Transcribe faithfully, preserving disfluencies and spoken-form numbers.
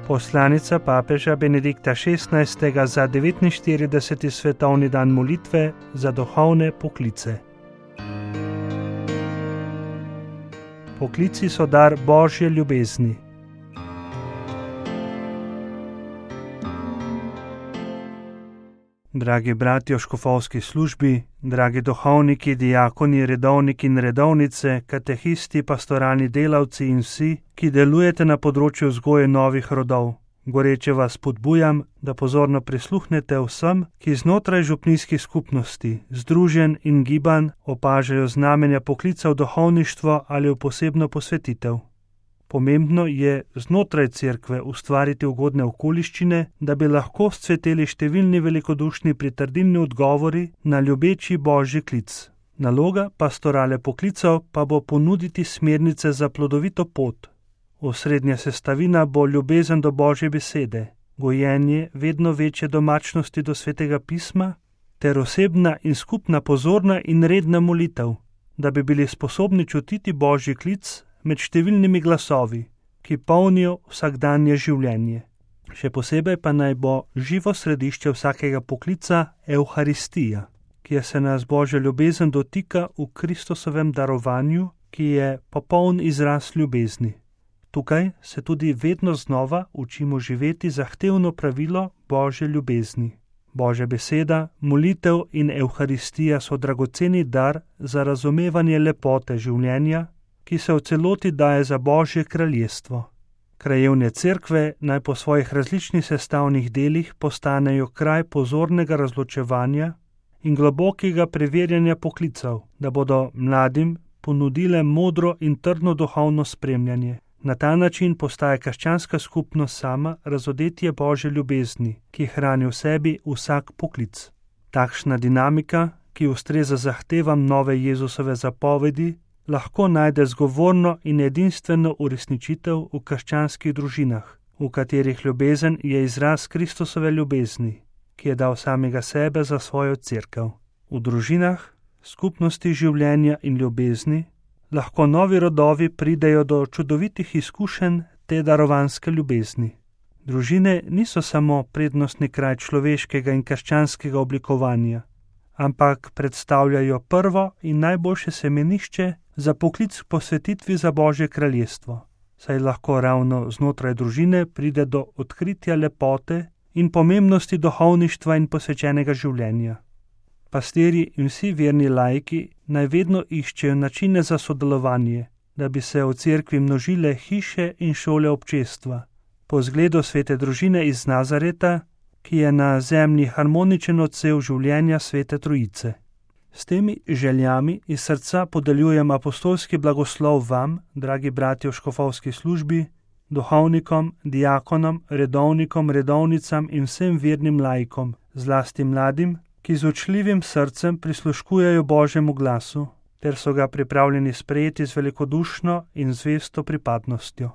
Poslanica papeža Benedikta šestnajstega za devetinštirideseti svetovni dan molitve za duhovne poklice. Poklici so dar Božje ljubezni. Dragi bratje v škofovski službi, dragi duhovniki, diakoni, redovniki in redovnice, katehisti, pastoralni delavci in vsi, ki delujete na področju vzgoje novih rodov, goreče vas spodbujam, da pozorno prisluhnete vsem, ki znotraj župnijskih skupnosti, združenj in gibanj opažajo znamenja poklica v duhovništvo ali v posebno posvetitev. Pomembno je znotraj cerkve ustvariti ugodne okoliščine, da bi lahko scveteli številni velikodušni pritrdilni odgovori na ljubeči Božji klic. Naloga pastorale poklicev pa bo ponuditi smernice za plodovito pot. Osrednja sestavina bo ljubezen do Božje besede, gojenje vedno večje domačnosti do Svetega pisma ter osebna in skupna pozorna in redna molitev, da bi bili sposobni čutiti Božji klic med številnimi glasovi, ki polnijo vsakdanje življenje. Še posebej pa naj bo živo središče vsakega poklica Evharistija, kjer se nas Božja ljubezen dotika v Kristusovem darovanju, ki je popoln izraz ljubezni. Tukaj se tudi vedno znova učimo živeti zahtevno pravilo Božje ljubezni. Božja beseda, molitev in Evharistija so dragoceni dar za razumevanje lepote življenja, ki se v celoti daje za Božje kraljestvo. Krajevne cerkve naj po svojih različnih sestavnih delih postanejo kraj pozornega razločevanja in globokega preverjanja poklicev, da bodo mladim ponudile modro in trdno duhovno spremljanje. Na ta način postaje krščanska skupnost sama razodetje Božje ljubezni, ki hrani v sebi vsak poklic. Takšna dinamika, ki ustreza zahtevam nove Jezusove zapovedi, lahko najde zgovorno in edinstveno uresničitev v krščanskih družinah, v katerih ljubezen je izraz Kristusove ljubezni, ki je dal samega sebe za svojo cerkev. V družinah, skupnosti življenja in ljubezni, lahko novi rodovi pridejo do čudovitih izkušenj te darovanske ljubezni. Družine niso samo prednostni kraj človeškega in krščanskega oblikovanja, ampak predstavljajo prvo in najboljše semenišče za poklic k posvetitvi za Božje kraljestvo, saj lahko ravno znotraj družine pride do odkritja lepote in pomembnosti duhovništva in posvečenega življenja. Pastirji in vsi verni laiki naj vedno iščejo načine za sodelovanje, da bi se v cerkvi množile hiše in šole občestva, po zgledu svete družine iz Nazareta, ki je na zemlji harmoničen odsev življenja Svete Trojice. S temi željami iz srca podeljujem apostolski blagoslov vam, dragi bratje v škofovski službi, duhovnikom, diakonom, redovnikom, redovnicam in vsem vernim laikom, zlasti mladim, ki z učljivim srcem prisluškujejo Božjemu glasu, ter so ga pripravljeni sprejeti z velikodušno in zvesto pripadnostjo.